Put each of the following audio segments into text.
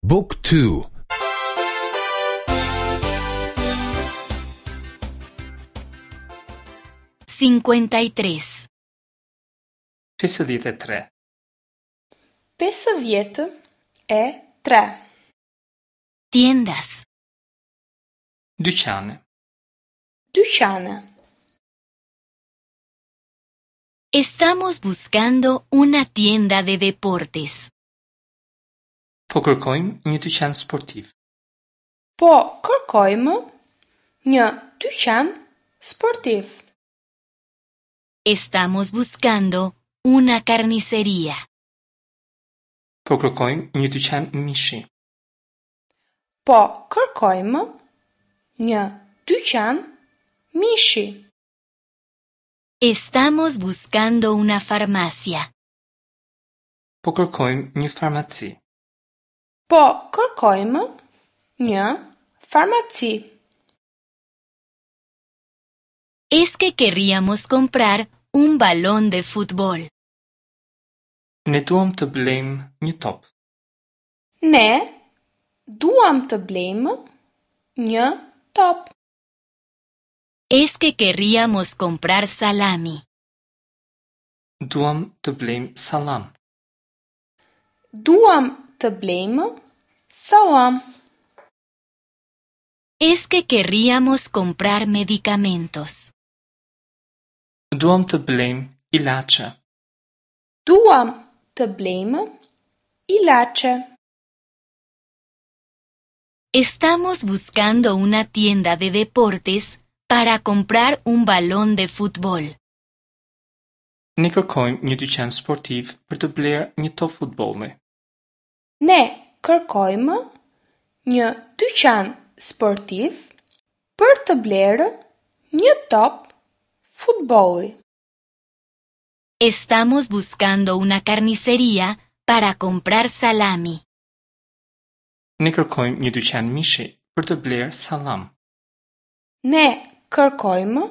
บุ๊กทู 53. 53. 53. Tiendas. Dyqane. Dyqane. Estamos buscando una tienda de deportes. Po kërkojmë një dyqan sportiv. Po kërkojmë një dyqan sportiv. Estamos buscando una carnicería. Po kërkojmë një dyqan mishi. Po kërkojmë një dyqan mishi. Estamos buscando una farmacia. Po kërkojmë një farmaci. Po kërkojmë një farmaci. Es que querríamos comprar un balón de fútbol. Ne duam të blejmë një top. Ne duam të blejmë një top. Es que querríamos comprar salami. Duam të blejmë sallam. Duam të blejmë sallam. Es que querríamos comprar medicamentos. Duam të blejmë ilaçe. Duam të blejmë ilaçe. Estamos buscando una tienda de deportes para comprar un balón de fútbol. Ne kërkojmë një dyqan sportiv për të blerë një top futbolli. Ne kërkojmë një dyqan sportiv për të blerë një top futbolli. Estamos buscando una carnicería para comprar salami. Ne kërkojmë një dyqan mishi për të blerë sallam. Ne kërkojmë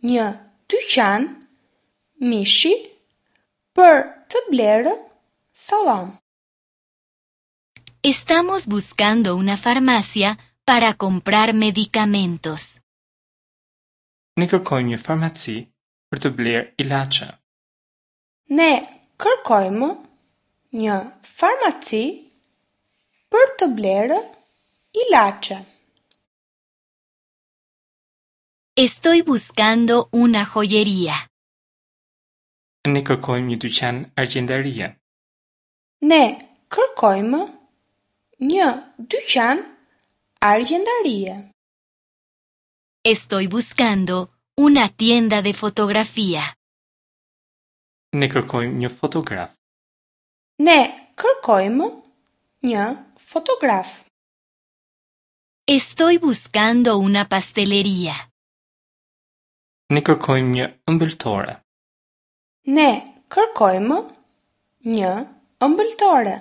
një dyqan mishi për të blerë sallam. Estamos buscando una farmacia para comprar medicamentos. Ne kërkojmë një farmaci për të blerë ilaçe. Ne kërkojmë një farmaci për të blerë ilaçe. Estoy buscando una joyería. Ne kërkojmë një dyqan argjendarie. Ne kërkojmë një dyqan argjendarie. Estoy buscando una tienda de fotografía. Ne kërkojmë një fotograf. Ne kërkojmë një fotograf. Estoy buscando una pastelería. Ne kërkojmë një ëmbëltore. Ne kërkojmë një ëmbëltore.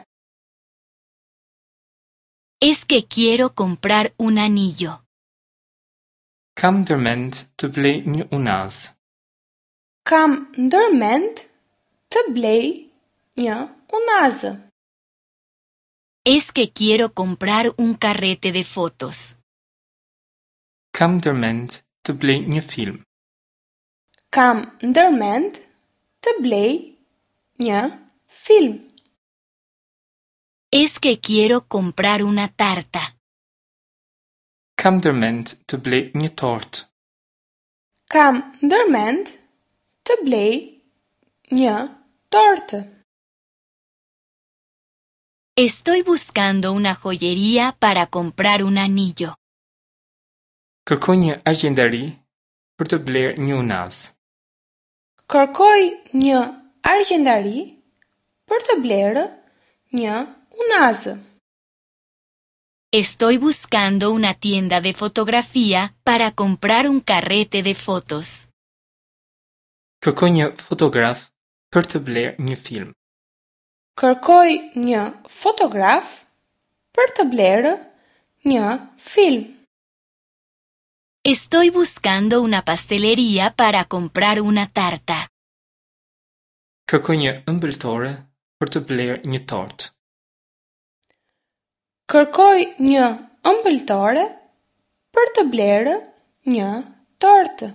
Es que quiero comprar un anillo. Kam ndërmend të blej një unazë. Kam ndërmend të blej një unazë. Es que quiero comprar un carrete de fotos. Kam ndërmend të blej një film. Kam ndërmend të blej një film. Es que quiero comprar una tarta. Kam ndërmend të blej një tortë. Kam ndërmend të blej një tortë. Estoy buscando una joyería para comprar un anillo. Kërkoj një argjendari për të blerë një unazë. Kërkoj një argjendari për të blerë një unazë. Estoy buscando una tienda de fotografía para comprar un carrete de fotos. Kërkoj një fotograf për të blerë një film. Kërkoj një fotograf për të blerë një film. Estoy buscando una pastelería para comprar una tarta. Kërkoj një ëmbëltore për të blerë një tortë. Kërkoj një ëmbëltore për të blerë një tortë.